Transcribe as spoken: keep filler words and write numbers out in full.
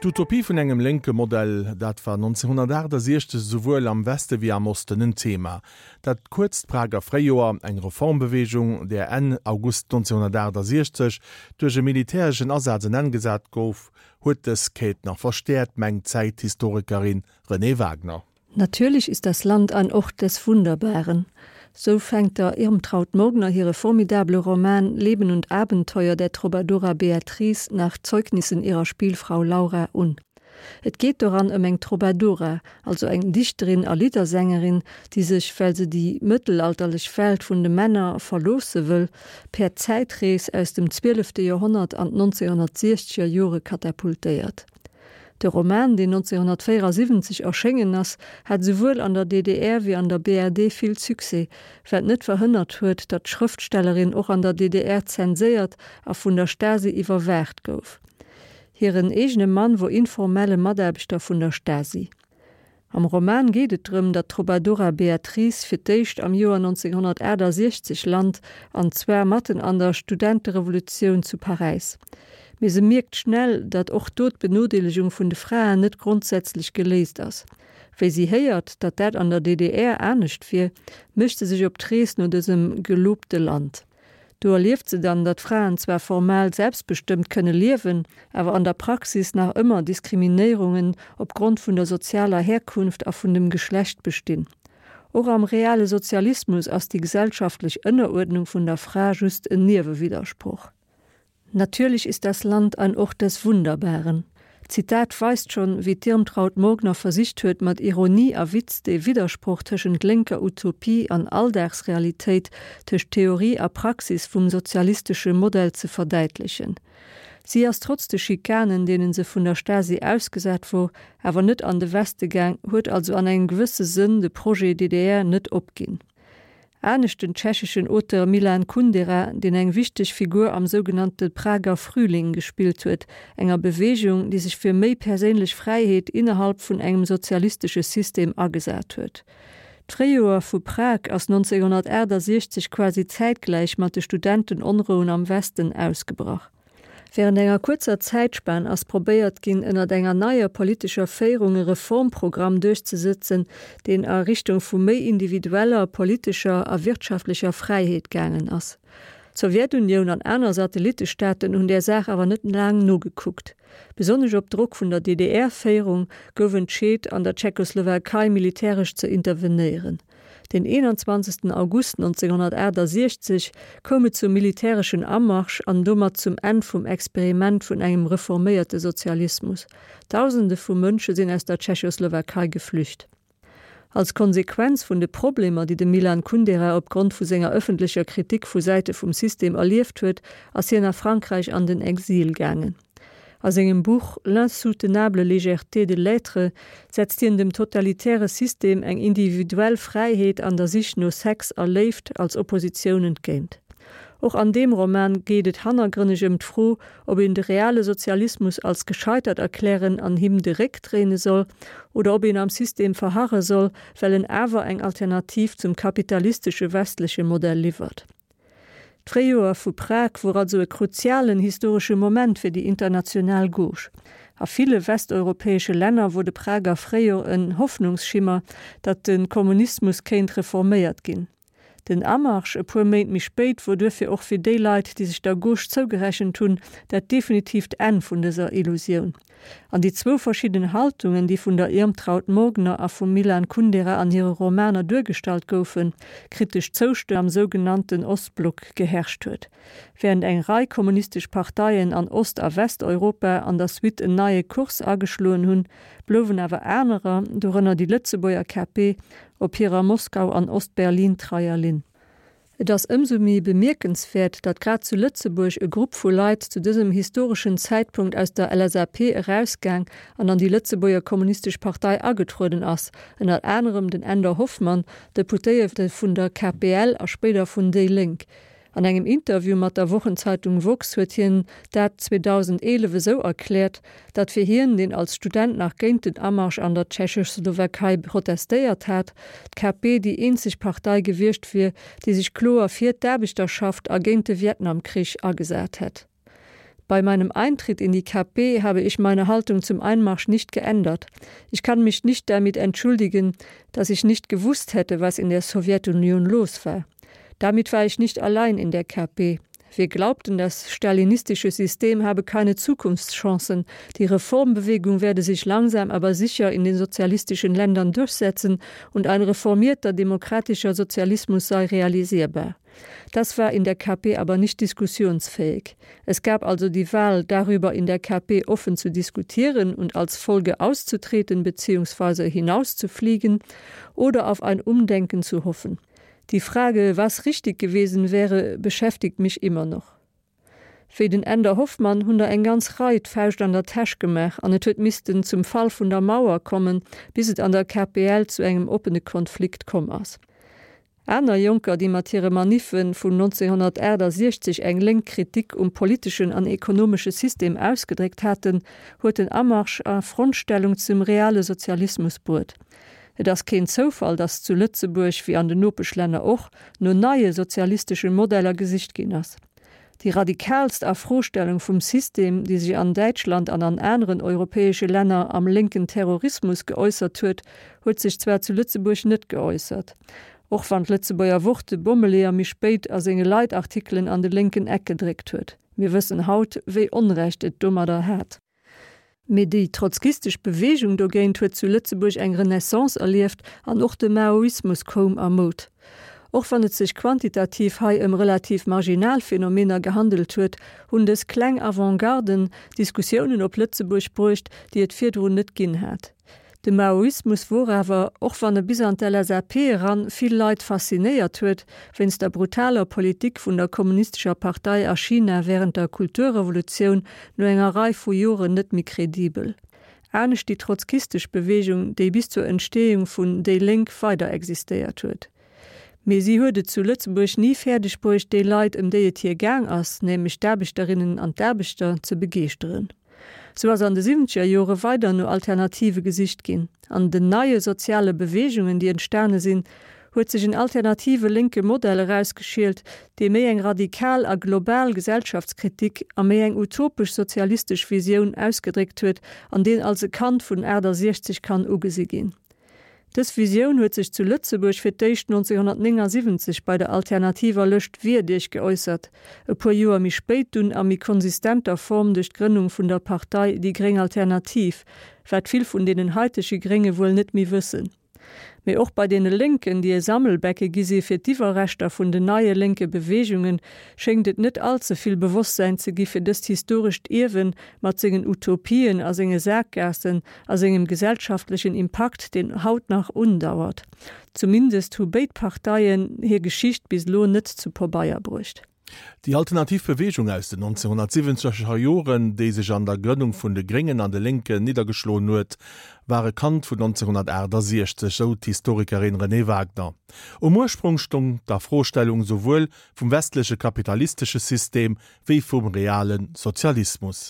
D'Utopie vun engem lénke Modell, dat war nonzénhunnertaachtasechzeg esouwuel am Weste wéi am Osten en Thema. Dat kuerzt Prager Fréijoer, eng Reformbeweegung, där Enn August nonzénhunnertaachtasechzeg duerch e militäreschen Asaz en Enn gesat gouf, huet dës Quête nach verstäerkt, mengt d'Zäithistorikerin Renée Wagner. Natürlich ist das Land ein Ort des Wunderbaren. Sou fänkt der Irmtraut Morgner hire formidable Roman Leben und Abenteuer der Troubadoura Beatrice nach Zeugnissen ihrer Spielfrau Laura un. Et geet doran ëm eng Troubadoura, also eng Dichterin a Liddersängerin, déi sech, well se déi mëttelalterlech Welt vun de Männer verloosse wëll, per Zäitrees aus dem zwielefte Joerhonnert an d'nonzénhunnertsiechzeger Jore katapultéiert. De Roman, deen nonzénhunnertvéierasiwwenzeg erschéngen ass, hat souwuel an der D D R wéi an der B R D vill Succès, wat net verhënnert huet, datt d'Schrëftstellerin och an der D D R zenséiert a vun der Stasi iwwerwaacht gouf. Hiren eegene Mann wor informelle Mataarbechter vun der Stasi. Am Roman geet et drëm, datt d'Troubadora Beatrice fir d'éischt am Joer nonzénhunnertaachtasechzeg lant, an zwar matten an der Studenterevolutioun zu Paräis. Mee se mierkt schnell, datt och do d'Benodeelegung vun de Fraen net grondsätzlech geléist ass. Wéi si héiert, datt dat an der D D R anescht wier, mécht se sech op d'Rees no dësem gelobte Land. Do erlieft se dann, datt Fraen zwar formal selbstbestëmmt kënne liewen, awer an der Praxis nach ëmmer Diskriminéierungen opgrond vun der sozialer Herkunft a vun dem Geschlecht bestinn. Och am reale Sozialismus ass déi gesellschaftlech Ënneruerdnung vun der Fra just en Niewewiddersproch. Natürlich ist das Land ein Ort des Wunderbaren. D'Zitat weist schonn, wéi d'Irmtraut Morgner versicht huet, mat Ironie a Witz de Widdersproch tëschent lénker Utopie an Alldagsrealitéit, tëscht Theorie a Praxis vum sozialistesche Modell ze verdäitlechen. Si ass trotz de Schikanen, deenen se vun der Stasi ausgesat wor, awer net an de Weste gaang, huet also an engem gewësse Sënn de Projet D D R net opginn. Anescht den tschecheschen Auteur Milan Kundera, deen eng wichteg Figur am sougenannte Prager Frühling gespillt huet, enger Beweegung, déi sech fir méi perséinlech Fräiheet innerhalb vun engem sozialistesche System agesat huet. D'Fréijoer vu Prag ass nonzénhunnertaachtasechzeg quasi zäitgläich mat de Studentenonrouen am Westen ausgebrach. Wärend enger kuerzer Zäitspan ass probéiert ginn, ënnert enger neier politescher Féierung e Reformprogramm duerchzesetzen, deen a Richtung vu méi individueller politescher a wirtschaftlecher Fräiheet gaangen ass. D'Sowjetunioun an aner Satellittestaaten hunn där Saach awer net laang nogekuckt. Besonnesch op Drock vun der D D R-Féierung gouf entscheet, an der Tschechoslowakei militäresch ze intervenéieren. Den eenanzwanzegsten August nonzénhunnertaachtasechzeg koum et zum militäreschen Amarsch an domat zum Enn vum Experiment vun engem reforméierte Sozialismus. Dausende vu Mënsche sinn aus der Tschechoslowakei geflücht. Als Konsequenz vun de Problemer, déi de Milan Kundera opgrond vu senger ëffentlecher Kritik vu Säite vum System erlieft huet, ass hien a Frankräich an den Exil gaangen. A sengem Buch L'insoutenable légèreté de l'être setzt hien dem totalitäre System eng individuell Fräiheet an der Sich no Sex a Léift als Oppositioun entgéint. Och an deem Roman geet et hannergrënneg ëm d'Fro, ob een de reale Sozialismus als gescheitert erklären an him de Réck dréine soll oder ob een am System verharre soll, well en awer eng Alternativ zum kapitalistesche westleche Modell liwwert. D'Fréijoer vu Prag wor also e kruzialen historesche Moment fir déi international Gauche. A ville westeuropäesche Länner wor de Prager Fréijoer en Hoffnungsschimmer, datt de Kommunismus kéint reforméiert ginn. Den Amarsch e puer Méint méi spéit wor duerfir och fir déi Leit, déi sech der Gauche zougerechent hunn, dat definitiivt Enn vun dëser Illusioun. An déi zwou verschidden Haltungen, déi vun der Irmtraut Morgner a vum Milan Kundera an hire Romaner duergestallt goufen, kritesch Zoustëmmung am sougenannten Ostblock geherrscht huet. Wärend eng Rei kommunistesch Parteien an Ost a Westeuropa an der Suite en neie Kurs ageschloen hunn, blouwen awer anerer, dorënner déi Lëtzebuerger K P, op hirer Moskau an Ost-Berlin-treier Linn. Et ass ëmsou méi bemierkenswäert, datt grad zu Lëtzebuerg e Grupp vu Leit zu dësem historeschen Zäitpunkt aus der L S A P erausgaang an an déi Lëtzebuerger Kommunistesch Partei agetrueden ass, ënner anerem den Änder Hoffmann, Deputéierte vun der K P L a spéider vun déi Lénk. An engem Interview mat der Wochenzeitung Woxx huet hien dat zweedausendeelef esou erkläert, datt fir hien, deen als Student nach géint den Amarsch an der Tschechoslowakei protestéiert hat, d'K P déi eenzeg Partei gewiescht wier, déi sech kloer fir d'Aarbechterschaft a géint de Vietnamkrich agesat hätt. Bei meinem Eintritt in die KP habe ich meine Haltung zum Einmarsch nicht geändert. Ich kann mich nicht damit entschuldigen, dass ich nicht gewusst hätte, was in der Sowjetunion los war. Damit war ich nicht allein in der KP. Wir glaubten, das stalinistische System habe keine Zukunftschancen. Die Reformbewegung werde sich langsam aber sicher in den sozialistischen Ländern durchsetzen und ein reformierter demokratischer Sozialismus sei realisierbar. Das war in der KP aber nicht diskussionsfähig. Es gab also die Wahl, darüber in der KP offen zu diskutieren und als Folge auszutreten bzw. hinauszufliegen oder auf ein Umdenken zu hoffen. Die Frage, was richtig gewesen wäre, beschäftigt mich immer noch. Wéi den Änder Hoffmann hunn der eng ganz Rei d'Fauscht an der Täsch gemaach an et huet missten zum Fall vun der Mauer kommen, bis et an der KPL zu engem oppene Konflikt komm ass. Aner Jonker, déi mat hire Maniffe vun neunzehnhunnertaachtundsechzeg eng lénk Kritik um politeschen an ekonomesche System ausgedréckt haten, huet den Amarsch a Frontstellung zum reale Sozialismus bruet. Et ass keen Zoufall, datt zu Lëtzebuerg wéi an den Nopeschlänner och no neie sozialistesche Modeller gesicht ginn ass. Déi radikalst Afrostellung vum System, déi sech an Däitschland an an aneren europäesche Länner am lénken Terrorismus geäussert huet, huet sech zwar zu Lëtzebuerg net geäussert. Och wann d'Lëtzebuerger Wort de Bommeleeër méi spéit a senge Leitartikelen an de lénken Eck gedréckt huet. Mir wëssen haut, wéi Onrecht et domadder hat. Mee déi trotzkistesch Beweegung dogéint huet zu Lëtzebuerg eng Renaissance erlieft an och de Maoismus koum a Moud. Och wann et sech quantitativ hei ëm relativ marginal Phänomener gehandelt huet, hunn dës kleng Avantgarden Diskussiounen op Lëtzebuerg bruecht, déi et virdrun net ginn hat. De Maoismus wor awer, och wann e bis an d'LSAP eran vill Leit faszinéiert huet, wéinst der brutaler Politik vun der kommunistescher Partei a China wärend der Kulturrevolutioun no enger Rei vu Joren net méi kredibel. Anescht déi trotzkistesch Beweegung, déi bis zur Entstehung vun déi Lénk weider existéiert huet. Mee si huet et zu Lëtzebuerg ni fäerdeg bruecht, déi Leit, ëm déi et hir gaang ass, nämlech d'Aarbechterinnen an d'Aarbechter, ze begeeschteren. Sou ass an de siwwenzeger Jore weider no Alternative gesicht ginn. An den neie soziale Beweegungen, déi entstane sinn, huet sech en alternative lénke Modell erausgeschielt, dee méi eng radikal a global Gesellschaftskritik a méi eng utopesch sozialistesch Visioun ausgedréckt huet an deen als e Kand vun achtasiechzeg kann ugesi ginn. Dës Visioun huet sech zu Lëtzebuerg fir d'éischt neunzehnhunnertneunundsiebzeg bei der alternativer Lëscht Wier Iech geäussert, e puer Joer méi spéit dunn a méi konsistenter Form duerch d'Grënnung vun der Partei Déi Gréng Alternativ, wat vill vun deenen haitege Grénge wuel net méi wëssen. Mee och bei deene Lénken, déi e Sammelbecke gi si fir d'Iwwerreschter vun den neie lénke Beweegungen, schéngt et net all ze vill Bewosstsäin ze gi fir dëst historescht Ierwe mat sengen Utopien a senge Saakgaassen a sengem gesellschaftlechen Impakt, deen haut nach undauert. Zumindest hu béid Parteien hir Geschicht bis elo net zu Pabeier bruecht. Déi alternativ Beweegung aus den neunzehnhunnertsiwwenzeger Joren, déi sech an der Grënnung vun de Gréngen an de Lénken niddergeschloen huet, war e Kand vun neunzehnhunnertaachtundsechzeg, sou d'Historikerin Renée Wagner. Um Ursprong stong d'Afrostellung souwuel vum westleche kapitalistesche System wéi vum reale Sozialismus.